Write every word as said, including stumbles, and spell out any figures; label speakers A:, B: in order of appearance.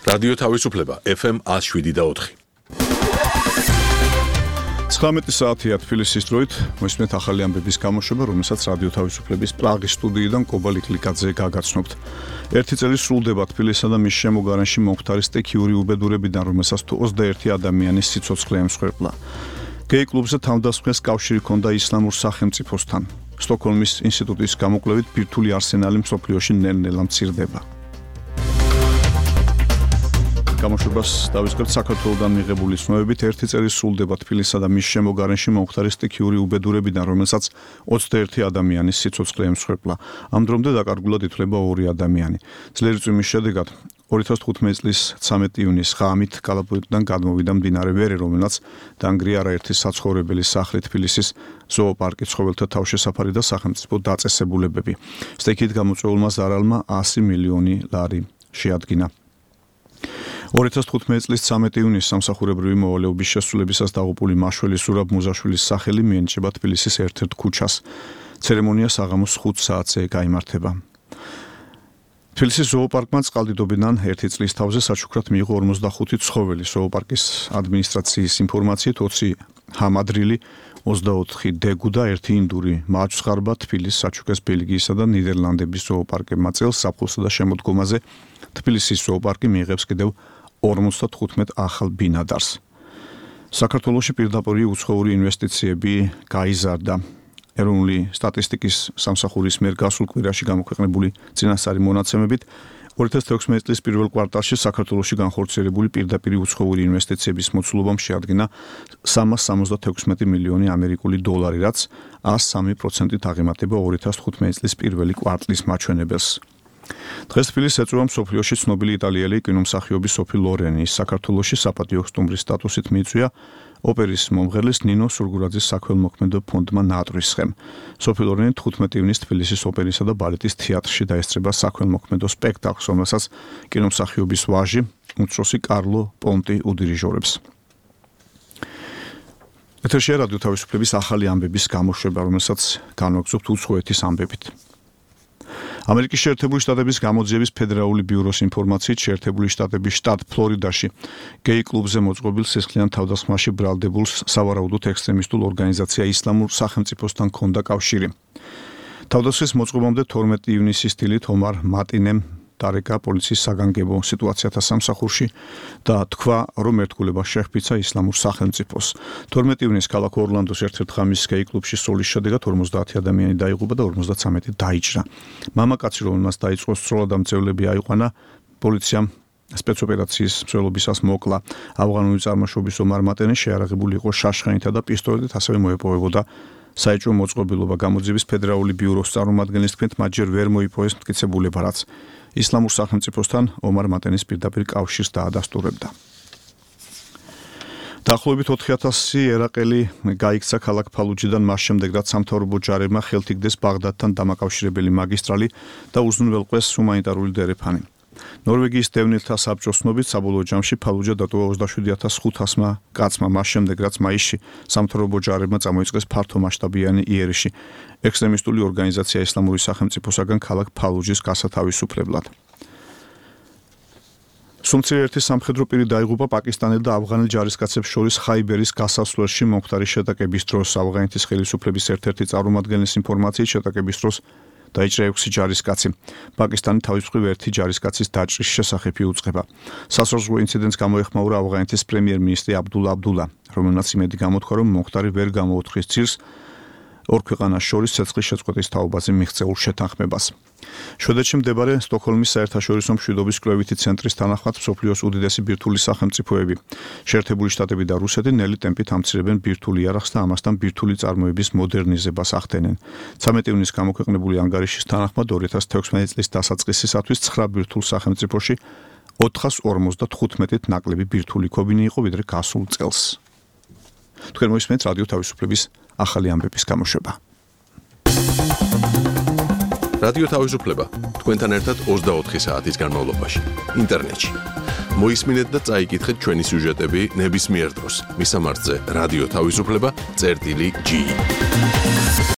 A: რადიო თავისუფლება ეფ ემ one oh seven და four.
B: ცხრამეტი საათია თბილისის დროით, მოსმენთ ახალი ამბების გამოშვება, რომელსაც რადიო თავისუფლების პრაღის სტუდიიდან კობალი კლიკაძე გაგაცნობთ. ერთი წელი სრულდება თბილისსა და მის შემოგარენში მომხდარი სტიქიური უბედურებიდან, რომელსაც თუ ოცდაერთი ადამიანის სიცოცხლე ემსხვერპლა. გეი კლუბზე თავდასხმის კავშირი ჰქონდა ისლამურ სახელმწიფოსთან. სტოკჰოლმის ინსტიტუტის გამოკვლევით ბირთვული არსენალი მსოფლიოში ნელ-ნელა მცირდება. გამოშვებას დავისწრებთ საქართველოსდან მიღებული ცნობებით ერთი წელი სრულდება თბილისსა და მის შემოგარენში მომხდარი სტიქიური უბედურებიდან, რომელსაც ოცდაერთი ადამიანის სიცოცხლე ემსხვერპლა. ამ დრომდე დაკარგულად ითვლება ორი ადამიანი. ძლიერი წვიმის შედეგად ორი ათას თხუთმეტი წლის ცამეტი ივნისს ღამით კალაპოტიდან გადმოვიდა მდინარე ვერი, რომელსაც დაანგრია არაერთი საცხოვრებელი სახლი, თბილისის ზოოპარკი, ცხოველთა თავშესაფარი და სახელმწიფო დაწესებულებები. სტიქით გამოწვეულმა ზარალმა one hundred მილიონი ლარი შეადგინა. ორი ათას თხუთმეტი წლის ცამეტი ივნისს სამსახურებრივი მოვალეობის შესრულებისას დაღუპული მაშველი სურაბ მუზაშვილის სახელი მიენიჭება თბილისის ერთ-ერთ ქუჩას. ცერემონია საღამოს ხუთ საათზე გაიმართება. თბილისის ზოოპარკმა წყალდიდობიდან ერთი წლის თავზე საჩუქრად მიიღო ორმოცდახუთი ცხოველი. ზოოპარკის ადმინისტრაციის ინფორმაციით ოცი ჰამადრილი, ოცდაოთხი დეგუ და ერთი ინდური მაჩვზღარბა თბილისის, საჩუქრას ბელგიისა და ნიდერლანდების ზოოპარკებმა წელს საფხულსა და შემოდგომაზე თბილისის ზოოპარკი მიიღებს კიდევ ორმოცდათხუთმეტ ახალ ბინადარს. საქართველოში პირდაპირ უცხოური ინვესტიციები გაიზარდა. ეროვნული სტატისტიკის სამსახურის მიერ გასულ კვირაში გამოქვეყნებული წინასწარი მონაცემებით ორი ათას თექვსმეტი წლის პირველ კვარტალში საქართველოში განხორციელებული პირდაპირ უცხოური ინვესტიციების მოცულობამ შეადგინა სამას სამოცდათექვსმეტი მილიონი ამერიკული დოლარი, რაც one hundred three პროცენტით აღემატება ორი ათას თხუთმეტი წლის პირველი კვარტლის მაჩვენებელს. დღეს თბილისს ეწევა მსოფლიოში ცნობილი იტალიელი კინომსახიობი სოფი ლორენი. ის საქართველოში საპატიო სტუმრის სტატუსით მიიწვია ოპერის მომღერლის ნინო სურგურაძის საქველმოქმედო ფონდმა ნატრისხემ. სოფი ლორენი თხუთმეტი ივნისს თბილისის ოპერისა და ბალეტის თეატრში დაესწრება საქველმოქმედო სპექტაკლს, რომელსაც კინომსახიობის ვაჟი, უმცროსი კარლო პონტი უდირიჟორებს. ეთერშია რადიო თავისუფლების ახალი ამბების გამოშვება, რომელსაც განვაგრძობთ უცხოეთის ამბებით. ამერიკის შეერთებული შტატების გამოძიების ფედერალური ბიუროს ინფორმაციით, შეერთებული შტატების შტატ ფლორიდაში გეი კლუბზე მოწყობილ სისხლიან თავდასხმაში ბრალდებულს სავარაუდოდ ექსტრემისტულ ორგანიზაცია ისლამურ სახელმწიფოსთან ჰქონდა კავშირი. თავდასხმის მოწყობამდე თორმეტი ივნისის დილით ომარ მატინემ დარეკა პოლიციის საგანგებო სიტუაციათა სამსახურში და თქვა, რომ ერთგულება შეჰფიცა ისლამურ სახელმწიფოს. თორმეტი ივნისს ქალაქ ორლანდოს ერთ-ერთ ღამის გეი კლუბში სროლის შედეგად ორმოცდაათი ადამიანი დაიღუპა და ორმოცდაცამეტი დაიჭრა. მამაკაცი, რომელმაც დაიწყო სროლა და მძევლები აიყვანა, პოლიციამ სპეცოპერაციის მსვლელობისას მოკლა. ავღანური წარმოშობის ომარ მატინე შეარაღებული იყო შაშხანითა და პისტოლეტით, ასევე მოეპოვებოდა საეჭვო მოწყობილობა. გამოძიების ფედერალური ბიუროს წარმომადგენლის თქმით, მათ ჯერ ვერ მოიპოვეს მტკიცებულება, რაც ისლამურ სახელმწიფოსთან ომარ მატენის პირდაპირ კავშირს დაადასტურებდა. დაახლოებით ოთხი ათასი ერაყელი გაიქცა ქალაქ ფალუჯიდან მას შემდეგ, რაც სამთავრობო ჯარებმა ხელთ იგდეს ბაღდადთან დამაკავშირებელი მაგისტრალი და უზრუნველყვეს ჰუმანიტარული დერეფანი. ნორვეგიის დევნილთა საბჭოს ცნობით, საბოლოო ჯამში ფალუჯა დატოვა ოცდაშვიდი ათას ხუთასმა კაცმა, მას შემდეგ, რაც მაისში სამთავრობო ჯარებმა წამოიწყეს ფართომასშტაბიანი იერიში ექსტრემისტული ორგანიზაცია ისლამური სახელმწიფოსაგან ქალაქ ფალუჯის გასათავისუფლებლად. სუმცირე ერთი სამხედრო პირი დაიღუპა პაკისტანელ და ავღანელ ჯარისკაცებს შორის ხაიბერის გასასვლელში მომხდარი შეტაკების დროს. ავღანეთის ხელისუფლების ერთ-ერთი წარმომადგენლის ინფორმაციით, შეტაკების დროს დაიჭრა ექვსი ჯარისკაცი. პაკისტანი თავის მხრივ ერთი ჯარისკაცის დაჭრის შესახებ იუწყება. სასაზღვრო ინციდენტს გამოეხმაურა ავღანეთის პრემიერ-მინისტრი აბდულა აბდულა, რომელმაც იმედი გამოთქვა, რომ მომხდარი ვერ გამოუთხრის ცირს ორ ქვეყანას შორის ცეცხლის შეწყვეტის თაობაზე მიღწეულ შეთანხმებას. შვედეთში მდებარე სტოკჰოლმის საერთაშორისო მშვიდობის კვლევითი ცენტრის თანახმად მსოფლიოს უდიდესი ბირთვული სახელმწიფოები, შეერთებული შტატები და რუსეთი ნელი ტემპით ამცირებენ ბირთვულ იარაღს და ამასთან ბირთვული წარმოების მოდერნიზებას ახდენენ. ცამეტი ივნისს გამოქვეყნებული ანგარიშის თანახმად ორი ათას თექვსმეტი წლის დასაწყისისათვის ცხრა ბირთვულ სახელმწიფოში ოთხას ორმოცდათხუთმეტით ნაკლები ბირთვული ქობინი იყო, ვიდრე გასულ წელს. თქვენ მოისმენთ რადიო თავისუფლების ახალი ამბების გამოშვება.
A: რადიო თავისუფლება თქვენთან ერთად ოცდაოთხი საათის განმავლობაში ინტერნეტში. მოისმინეთ და წაიკითხეთ ჩვენი სიუჟეტები ნებისმიერ დროს. მისამართზე რადიო თავისუფლება წერტილი ჯი.